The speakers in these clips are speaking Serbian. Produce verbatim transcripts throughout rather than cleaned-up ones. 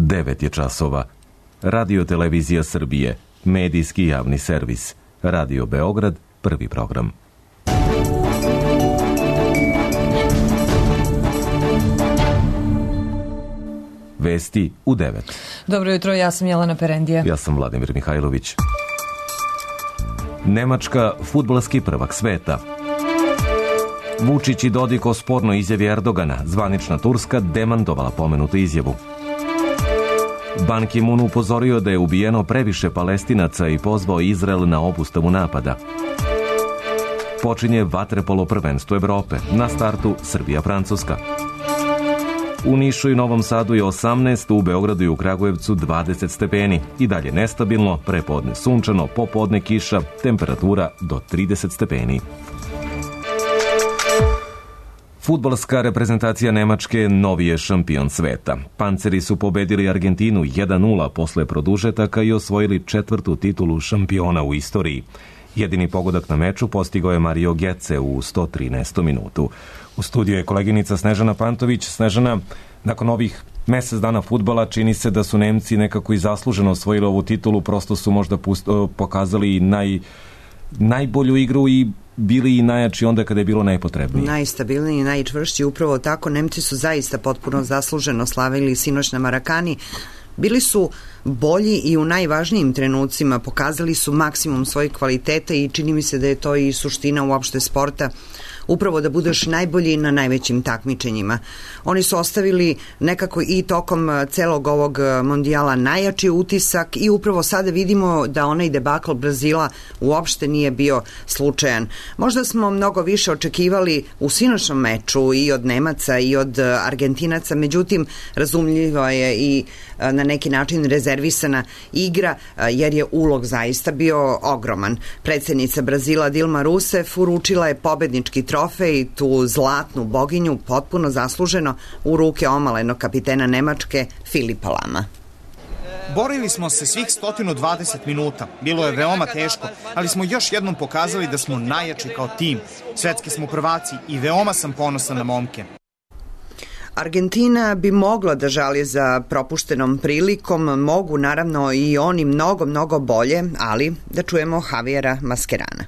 devet je časova. Radio Televizija Srbije, medijski javni servis. Radio Beograd, prvi program. Vesti u devet. Dobro jutro, ja sam Jelena Perendija. Ja sam Vladimir Mihajlović. Nemačka, fudbalski prvak sveta. Vučić i Dodik o spornoj izjavi Erdogana. Zvanična Turska demantovala pomenutu izjavu. Ban Ki-moon upozorio da je ubijeno previše Palestinaca i pozvao Izrael na obustavu napada. Počinje vaterpolo prvenstvo Evrope. Na startu Srbija-Francuska. U Nišu i Novom Sadu je osamnaest, u Beogradu i u Kragujevcu dvadeset stepeni. I dalje nestabilno, prepodne sunčano, popodne kiša, temperatura do trideset stepeni. Fudbalska reprezentacija Nemačke novi je šampion sveta. Panceri su pobedili Argentinu jedan nula posle produžetaka i osvojili četvrtu titulu šampiona u istoriji. Jedini pogodak na meču postigao je Mario Götze u sto trinaestom minutu. U studiju je koleginica Snežana Pantović. Snežana, nakon ovih mesec dana fudbala čini se da su Nemci nekako i zasluženo osvojili ovu titulu, prosto su možda pust, pokazali naj, najbolju igru i bili i najjači onda kada je bilo najpotrebnije. Najstabilniji i najčvršći, upravo tako. Nemci su zaista potpuno zasluženo slavili sinoć na Marakani. Bili su bolji i u najvažnijim trenucima, pokazali su maksimum svojih kvaliteta i čini mi se da je to i suština uopšte sporta, upravo da budeš najbolji na najvećim takmičenjima. Oni su ostavili nekako i tokom celog ovog mondijala najjači utisak i upravo sada vidimo da onaj debakl Brazila uopšte nije bio slučajan. Možda smo mnogo više očekivali u sinoćnom meču i od Nemaca i od Argentinaca, međutim razumljivo je i na neki način rezervisana igra, jer je ulog zaista bio ogroman. Predsednica Brazila Dilma Rousseff uručila je pobednički trofej, tu zlatnu boginju, potpuno zasluženo u ruke omalenog kapitena Nemačke Filipa Lama. Borili smo se svih sto dvadeset minuta. Bilo je veoma teško, ali smo još jednom pokazali da smo najjači kao tim. Svetski smo prvaci i veoma sam ponosan na momke. Argentina bi mogla da žali za propuštenom prilikom, mogu naravno i oni mnogo, mnogo bolje, ali da čujemo Javiera Mascherana.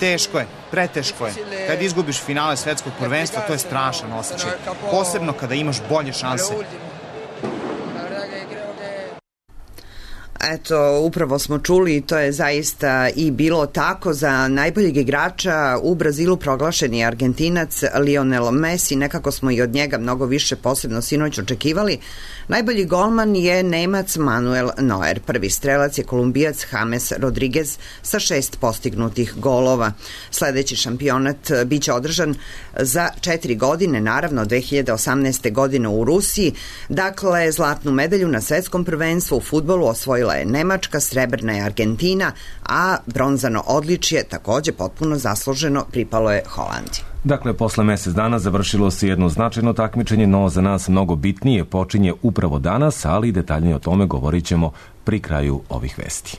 Teško je, preteško je. Kad izgubiš finale svetskog prvenstva, to je strašan osjećaj. Posebno kada imaš bolje šanse. Eto, upravo smo čuli i to je zaista i bilo tako. Za najboljeg igrača u Brazilu proglašen je Argentinac Lionel Messi, nekako smo i od njega mnogo više posebno sinoć očekivali. Najbolji golman je Nemac Manuel Neuer, prvi strelac je Kolumbijac James Rodriguez sa šest postignutih golova. Sledeći šampionat biće održan za četiri godine, naravno dve hiljade osamnaeste. godine u Rusiji. Dakle, zlatnu medalju na svetskom prvenstvu u fudbalu osvojila je Nemačka, srebrna je Argentina, a bronzano odličje takođe potpuno zasluženo pripalo je Holandiji. Dakle, posle mesec dana završilo se jedno značajno takmičenje, no za nas mnogo bitnije počinje upravo danas, ali detaljnije o tome govorit ćemo pri kraju ovih vesti.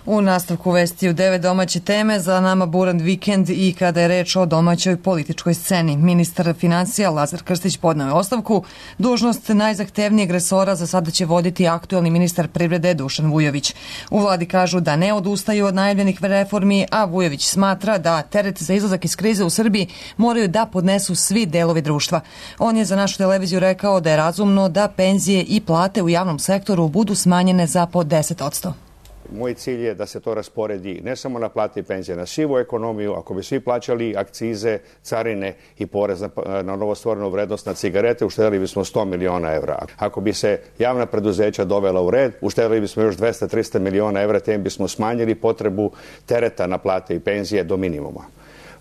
U nastavku vesti u devet domaće teme, za nama buran vikend i kada je reč o domaćoj političkoj sceni. Ministar financija Lazar Krstić podneo je ostavku. Dužnost najzahtevnijeg resora za sada će voditi aktuelni ministar privrede Dušan Vujović. U vladi kažu da ne odustaju od najavljenih reformi, a Vujović smatra da teret za izlazak iz krize u Srbiji moraju da podnesu svi delovi društva. On je za našu televiziju rekao da je razumno da penzije i plate u javnom sektoru budu smanjene za po deset posto. Moj cilj je da se to rasporedi ne samo na plate i penzije, na sivu ekonomiju. Ako bi svi plaćali akcize, carine i porez na, na novostvorenu vrednost na cigarete, uštedili bismo sto miliona evra. Ako bi se javna preduzeća dovela u red, uštedili bismo još dvesta do trista miliona evra, te bismo smanjili potrebu tereta na plate i penzije do minimuma.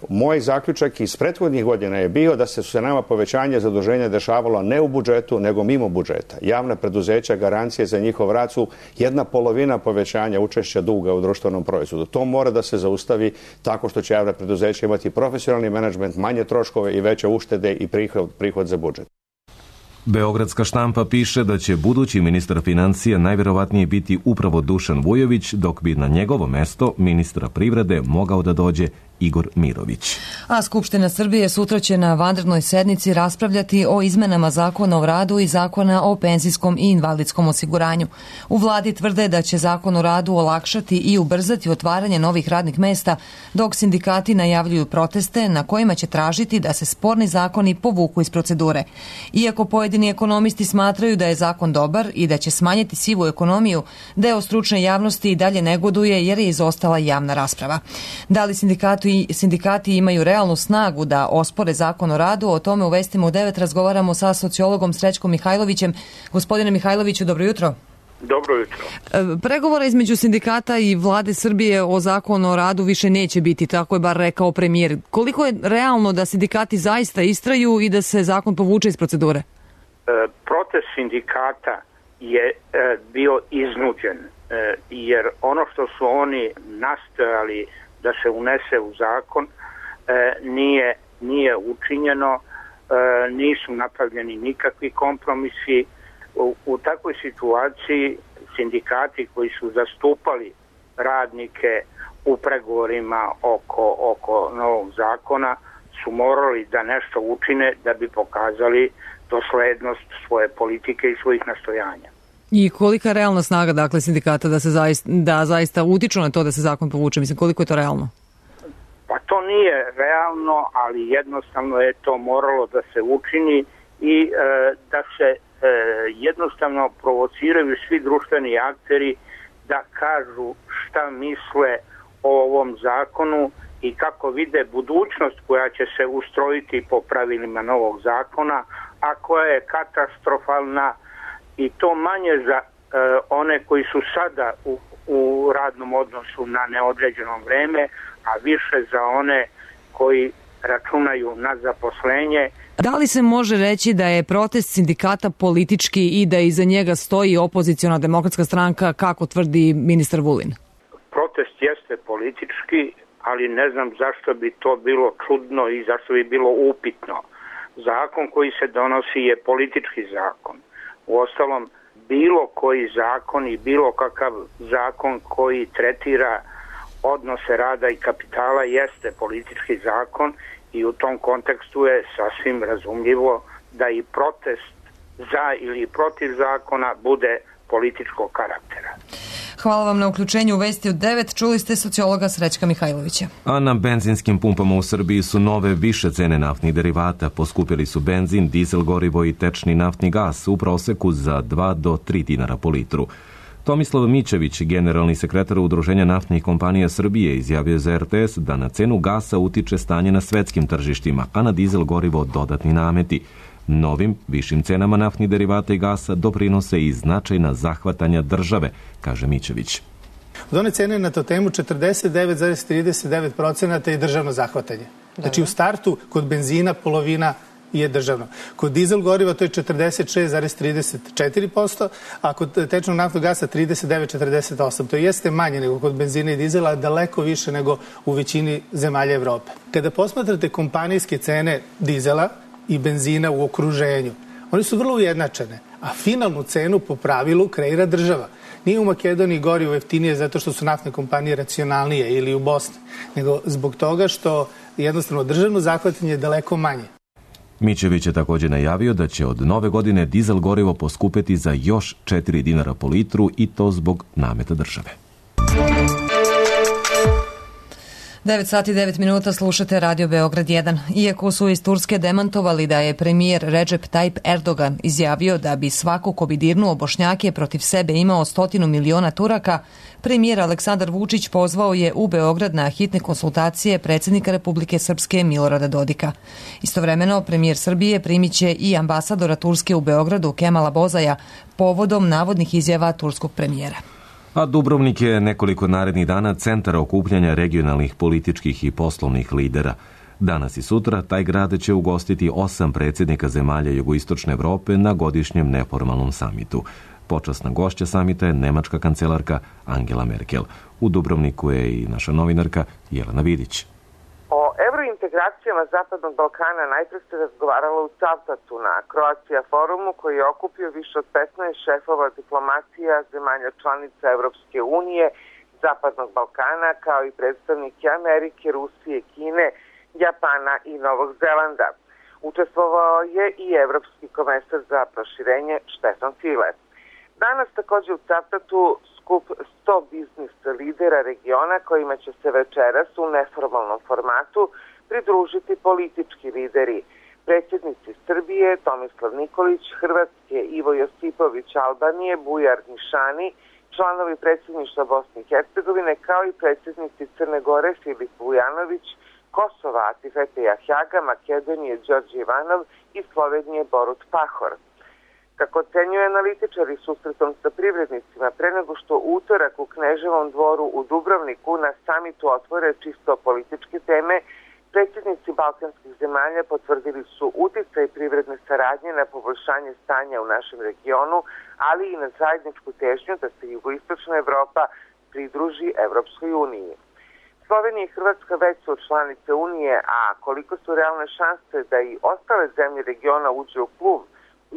Moj zaključak iz prethodnih godina je bio da se se nama povećanje zaduženja dešavalo ne u budžetu, nego mimo budžeta. Javna preduzeća, garancije za njihov rad su jedna polovina povećanja učešća duga u društvenom proizvodu. To mora da se zaustavi tako što će javna preduzeća imati profesionalni menadžment, manje troškove i veće uštede i prihod, prihod za budžet. Beogradska štampa piše da će budući ministar financija najverovatnije biti upravo Dušan Vujović, dok bi na njegovo mesto ministra privrede mogao da dođe Igor Mirović. A Skupština Srbije sutra će na vanrednoj sednici raspravljati o izmenama Zakona o radu i Zakona o penzijskom i invalidskom osiguranju. U vladi tvrde da će Zakon o radu olakšati i ubrzati otvaranje novih radnih mesta, dok sindikati najavljuju proteste na kojima će tražiti da se sporni zakoni povuku iz procedure. Iako pojedini ekonomisti smatraju da je zakon dobar i da će smanjiti sivu ekonomiju, deo stručne javnosti i dalje negoduje jer je izostala javna rasprava. Da li sindikati, sindikati imaju realnu snagu da ospore Zakon o radu? O tome u Vestima u devet razgovaramo sa sociologom Srećkom Mihajlovićem. Gospodine Mihajloviću, dobro jutro. Dobro jutro. Pregovora između sindikata i vlade Srbije o Zakonu o radu više neće biti, tako je bar rekao premijer. Koliko je realno da sindikati zaista istraju i da se zakon povuče iz procedure? Protest sindikata je bio iznuđen, jer ono što su oni nastojali da se unese u zakon nije, nije učinjeno, nisu napravljeni nikakvi kompromisi. U, u takvoj situaciji sindikati koji su zastupali radnike u pregovorima oko, oko novog zakona su morali da nešto učine da bi pokazali doslednost svoje politike i svojih nastojanja. I kolika je realna snaga, dakle, sindikata da se zaista, da zaista utiču na to da se zakon povuče? Mislim, koliko je to realno? Pa to nije realno, ali jednostavno je to moralo da se učini i e, da se e, jednostavno provociraju svi društveni akteri da kažu šta misle o ovom zakonu i kako vide budućnost koja će se ustrojiti po pravilima novog zakona, a koja je katastrofalna, i to manje za e, one koji su sada u, u radnom odnosu na neodređeno vreme, a više za one koji računaju na zaposlenje. Da li se može reći da je protest sindikata politički i da iza njega stoji opoziciona demokratska stranka, kako tvrdi ministar Vulin? Protest jeste politički, ali ne znam zašto bi to bilo čudno i zašto bi bilo upitno. Zakon koji se donosi je politički zakon. Uostalom, bilo koji zakon i bilo kakav zakon koji tretira odnose rada i kapitala jeste politički zakon i u tom kontekstu je sasvim razumljivo da i protest za ili protiv zakona bude političkog karaktera. Hvala vam na uključenju u Vesti od devet. Čuli ste sociologa Srećka Mihajlovića. A na benzinskim pumpama u Srbiji su nove više cene naftnih derivata. Poskupili su benzin, dizel gorivo i tečni naftni gas u proseku za dva do tri dinara po litru. Tomislav Mićević, generalni sekretar Udruženja naftnih kompanija Srbije, izjavio za er te es da na cenu gasa utiče stanje na svetskim tržištima, a na dizel gorivo dodatni nameti. Novim, višim cenama naftnih derivata i gasa doprinose i značajna zahvatanja države, kaže Mićević. Od one cene na to temu četrdeset devet zarez trideset devet procenata je državno zahvatanje. Znači u startu kod benzina polovina je državno. Kod dizel goriva to je četrdeset šest zarez trideset četiri posto, a kod tečnog naftnog gasa trideset devet zarez četrdeset osam. To jeste manje nego kod benzina i dizela, daleko više nego u većini zemalja Evrope. Kada posmatrate kompanijske cene dizela i benzina u okruženju, one su vrlo ujednačene, a finalnu cenu po pravilu kreira država. Nije u Makedoniji gorivo jeftinije zato što su naftne kompanije racionalnije ili u Bosni, nego zbog toga što jednostavno državno zahvatanje je daleko manje. Mićević je također najavio da će od nove godine dizel gorivo poskupeti za još četiri dinara po litru i to zbog nameta države. devet sati devet minuta, slušate Radio Beograd jedan. Iako su iz Turske demantovali da je premijer Recep Tayyip Erdogan izjavio da bi svako ko bi dirnuo Bošnjake protiv sebe imao stotinu miliona Turaka, premijer Aleksandar Vučić pozvao je u Beograd na hitne konsultacije predsjednika Republike Srpske Milorada Dodika. Istovremeno, premijer Srbije primiće i ambasadora Turske u Beogradu Kemala Bozaja povodom navodnih izjava turskog premijera. A Dubrovnik je nekoliko narednih dana centar okupljanja regionalnih političkih i poslovnih lidera. Danas i sutra taj grad će ugostiti osam predsjednika zemalja jugoistočne Evrope na godišnjem neformalnom samitu. Počasna gošća samita je nemačka kancelarka Angela Merkel. U Dubrovniku je i naša novinarka Jelena Vidić. O evrointegracijama Zapadnog Balkana najpre se razgovaralo u Cavtatu na Croatia forumu koji je okupio više od petnaest šefova diplomacija zemalja članica Evropske unije, Zapadnog Balkana, kao i predstavnike Amerike, Rusije, Kine, Japana i Novog Zelanda. Učestvovao je i evropski komesar za proširenje Štefan File. Danas takođe u Cavtatu skup sto biznis lidera regiona kojima će se večeras u neformalnom formatu pridružiti politički lideri. Predsjednici Srbije Tomislav Nikolić, Hrvatske Ivo Josipović, Albanije Bujar Nišani, članovi predsjedništva Bosne i Hercegovine, kao i predsjednici Crne Gore Filip Vujanović, Kosova Atifete Jahjaga, Makedonije Đorđe Ivanov i Slovenije Borut Pahor. Kako ocenjuju analitičari susretom sa privrednicima, pre nego što utorak u Kneževom dvoru u Dubrovniku na samitu otvore čisto političke teme, predsjednici balkanskih zemalja potvrdili su uticaj privredne saradnje na poboljšanje stanja u našem regionu, ali i na zajedničku težnju da se jugoistočna Evropa pridruži Evropskoj uniji. Slovenija i Hrvatska već su članice Unije, a koliko su realne šanse da i ostale zemlje regiona uđe u klub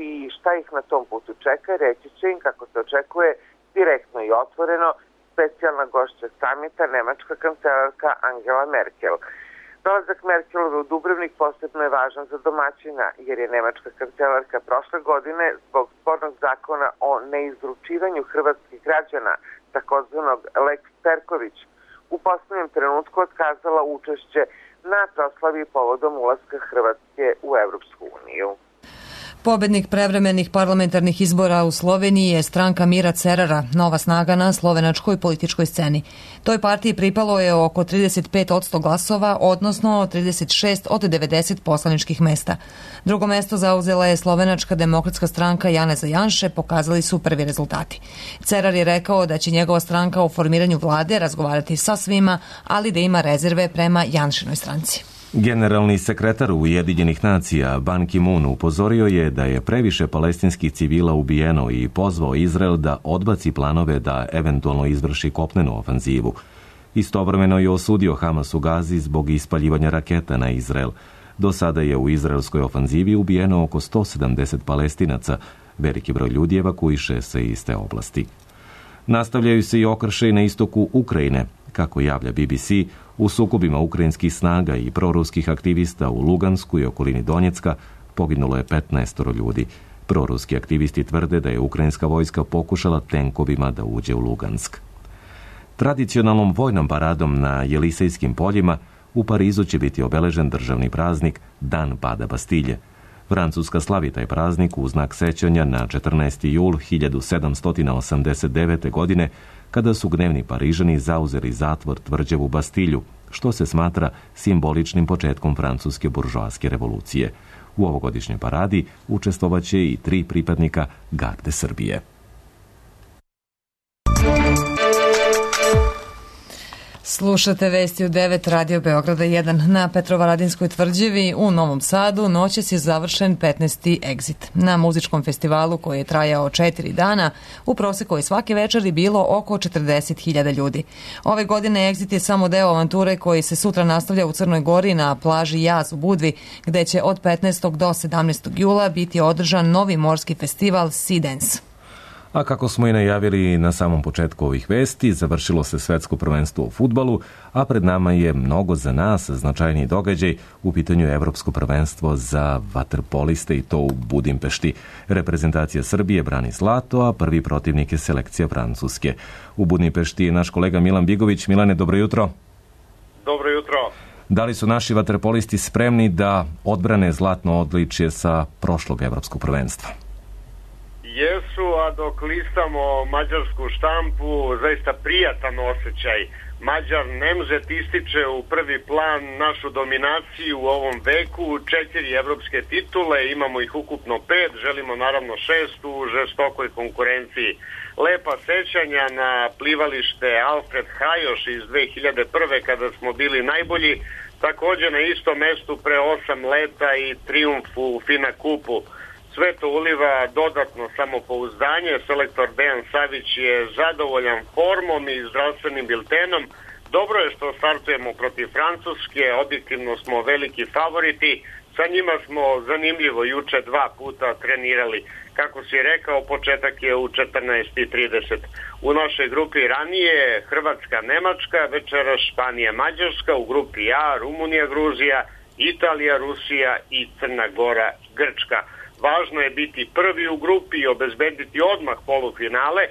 i šta ih na tom putu čeka, reći će im, kako se očekuje, direktno i otvoreno specijalna gošća samita, nemačka kancelarka Angela Merkel. Dolazak Merkelove u Dubrovnik posebno je važan za domaćina, jer je nemačka kancelarka prošle godine zbog spornog zakona o neizručivanju hrvatskih građana, takozvanog Lex Perković, u poslednjem trenutku otkazala učešće na proslavi povodom ulaska Hrvatske u Evropsku uniju. Pobednik prevremenih parlamentarnih izbora u Sloveniji je stranka Mira Cerara, nova snaga na slovenačkoj političkoj sceni. Toj partiji pripalo je oko trideset pet posto glasova, odnosno trideset šest od devedeset poslaničkih mesta. Drugo mesto zauzela je slovenačka demokratska stranka Janeza Janše, pokazali su prvi rezultati. Cerar je rekao da će njegova stranka u formiranju vlade razgovarati sa svima, ali da ima rezerve prema Janšinoj stranci. Generalni sekretar Ujedinjenih nacija Ban Ki-moon upozorio je da je previše palestinskih civila ubijeno i pozvao Izrael da odbaci planove da eventualno izvrši kopnenu ofanzivu. Istovremeno je osudio Hamas u Gazi zbog ispaljivanja raketa na Izrael. Do sada je u izraelskoj ofanzivi ubijeno oko sto sedamdeset Palestinaca. Veliki broj ljudi evakuiše se iz te oblasti. Nastavljaju se i okršaji na istoku Ukrajine. Kako javlja B B C, u sukobima ukrajinskih snaga i proruskih aktivista u Lugansku i okolini Donjecka poginulo je petnaest ljudi. Proruski aktivisti tvrde da je ukrajinska vojska pokušala tenkovima da uđe u Lugansk. Tradicionalnom vojnom paradom na Jelisejskim poljima u Parizu će biti obeležen državni praznik Dan pada Bastilje. Francuska slavi taj praznik u znak sećanja na četrnaesti jul hiljadu sedamsto osamdeset devete. godine, kada su gnevni Parižani zauzeli zatvor tvrđavu Bastilju, što se smatra simboličnim početkom francuske buržoaske revolucije. U ovogodišnjoj paradi učestvovaće i tri pripadnika Garde Srbije. Slušate vesti u devet Radio Beograda jedan. Na Petrovaradinskoj tvrđavi u Novom Sadu noćas je završen petnaesti Exit. Na muzičkom festivalu koji je trajao četiri dana, u proseku je svake večeri bilo oko četrdeset hiljada ljudi. Ove godine Exit je samo deo avanture koji se sutra nastavlja u Crnoj Gori na plaži Jaz u Budvi, gde će od petnaestog do sedamnaestog jula biti održan novi morski festival Sea Dance. A kako smo i najavili na samom početku ovih vesti, završilo se svetsko prvenstvo u fudbalu, a pred nama je mnogo za nas značajniji događaj, u pitanju je evropsko prvenstvo za vaterpoliste i to u Budimpešti. Reprezentacija Srbije brani zlato, a prvi protivnik je selekcija Francuske. U Budimpešti je naš kolega Milan Bigović. Milane, dobro jutro. Dobro jutro. Da li su naši vaterpolisti spremni da odbrane zlatno odličje sa prošlog evropskog prvenstva? Jesu, a dok listamo mađarsku štampu, zaista prijatan osjećaj. Mađar Nemzet ističe u prvi plan našu dominaciju u ovom veku, četiri evropske titule, imamo ih ukupno pet, želimo naravno šest u žestokoj konkurenciji. Lepa sećanja na plivalište Alfred Hajoš iz dve hiljade prve. kada smo bili najbolji, također na istom mestu pre osam leta i trijumf u Fina Kupu. Sve to uliva dodatno samopouzdanje. Selektor Dejan Savić je zadovoljan formom i zdravstvenim biltenom. Dobro je što startujemo protiv Francuske, objektivno smo veliki favoriti, sa njima smo zanimljivo juče dva puta trenirali. Kako si rekao, početak je u četrnaest i trideset. U našoj grupi ranije Hrvatska, Nemačka, večeras Španija, Mađarska, u grupi A Rumunija, Gruzija, Italija, Rusija i Crna Gora, Grčka. Važno je biti prvi u grupi i obezbediti odmah polufinale.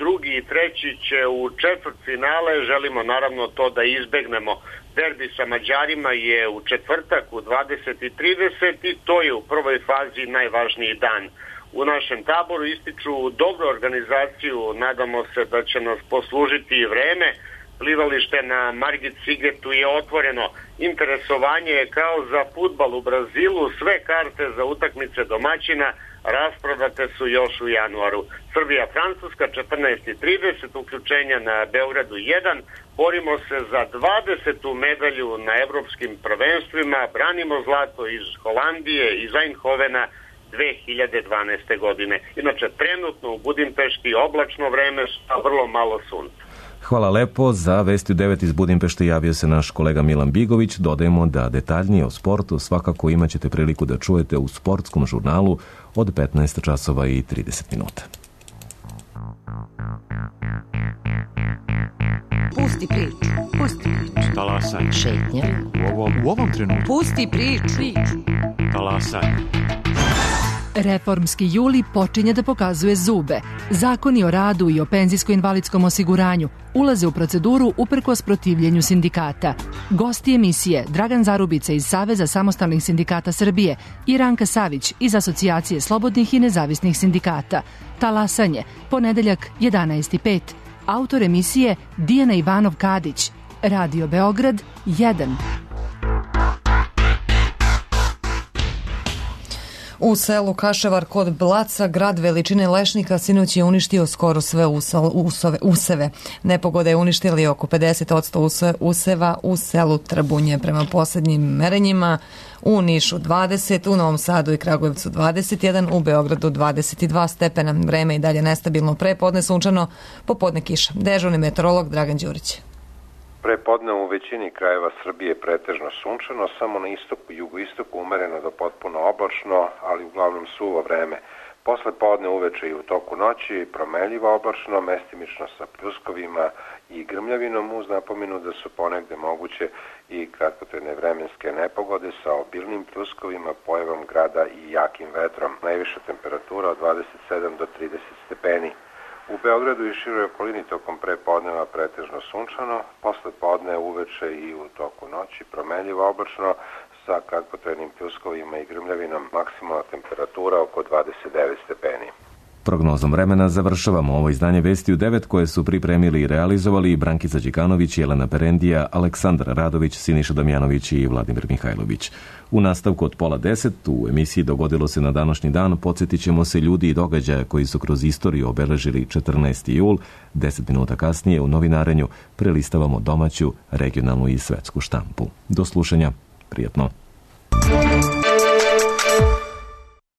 Drugi i treći će u četvrtfinale, želimo naravno to da izbegnemo. Derbi sa Mađarima je u četvrtak u dvadeset i trideset i to je u prvoj fazi najvažniji dan. U našem taboru ističu dobru organizaciju, nadamo se da će nas poslužiti i vreme. Plivalište na Margit Sigetu je otvoreno. Interesovanje je kao za fudbal u Brazilu, sve karte za utakmice domaćina rasprodate su još u januaru. Srbija, Francuska, četrnaest i trideset, uključenja na Beogradu jedan. Borimo se za dvadesetu medalju na evropskim prvenstvima, branimo zlato iz Holandije, iz Eindhovena dve hiljade dvanaeste. godine. Inače, trenutno u Budimpešti oblačno vreme sa vrlo malo sunca. Hvala lepo. Za Vesti u devet iz Budimpešte javio se naš kolega Milan Bigović. Dodajemo da detaljnije o sportu svakako imat ćete priliku da čujete u sportskom žurnalu od petnaest časova i trideset minuta. Pusti priču. Pusti priču. Talasaj. Šetnja. U ovom, u ovom trenutku. Pusti priču. Talasaj. Reformski juli počinje da pokazuje zube. Zakoni o radu i o penzijsko-invalidskom osiguranju ulaze u proceduru uprkos protivljenju sindikata. Gosti emisije Dragan Zarubica iz Saveza samostalnih sindikata Srbije i Ranka Savić iz Asocijacije slobodnih i nezavisnih sindikata. Talasanje, ponedeljak jedanaest i pet. Autor emisije Dijana Ivanov-Kadić. Radio Beograd jedan. U selu Kaševar kod Blaca, grad veličine lešnika, sinoć je uništio skoro sve usove, useve. Nepogoda je uništili oko pedeset odsto useva u selu Trbunje. Prema poslednjim merenjima u Nišu dvadeset, u Novom Sadu i Kragujevcu dvadeset jedan, u Beogradu dvadeset dva stepena. Vreme i dalje nestabilno, pre podne sunčano, popodne kiša. Dežurni meteorolog Dragan Đurić. Pre podne u većini krajeva Srbije pretežno sunčano, samo na istoku i jugoistoku umereno do potpuno oblačno, ali uglavnom suvo vreme. Posle podne uveče i u toku noći promenljivo oblačno, mestimično sa pljuskovima i grmljavinom, uz napomenu da su ponegde moguće i kratkotrajne vremenske nepogode sa obilnim pljuskovima, pojavom grada i jakim vetrom. Najviša temperatura od dvadeset sedam do trideset stepeni. U Beogradu i široj okolini tokom prepodneva pretežno sunčano, posle podne uveče i u toku noći promenljivo oblačno sa kratkotrajnim pljuskovima i grmljavinom, maksimalna temperatura oko dvadeset devet stepeni. Prognozom vremena završavamo ovo izdanje Vesti u devet koje su pripremili i realizovali Brankica Đikanović, Jelena Perendija, Aleksandar Radović, Siniša Damjanović i Vladimir Mihajlović. U nastavku od pola deset u emisiji Dogodilo se na današnji dan podsjetit ćemo se ljudi i događaja koji su kroz istoriju obeležili četrnaesti jul. Deset minuta kasnije u novinarenju prelistavamo domaću, regionalnu i svetsku štampu. Do slušanja. Prijetno.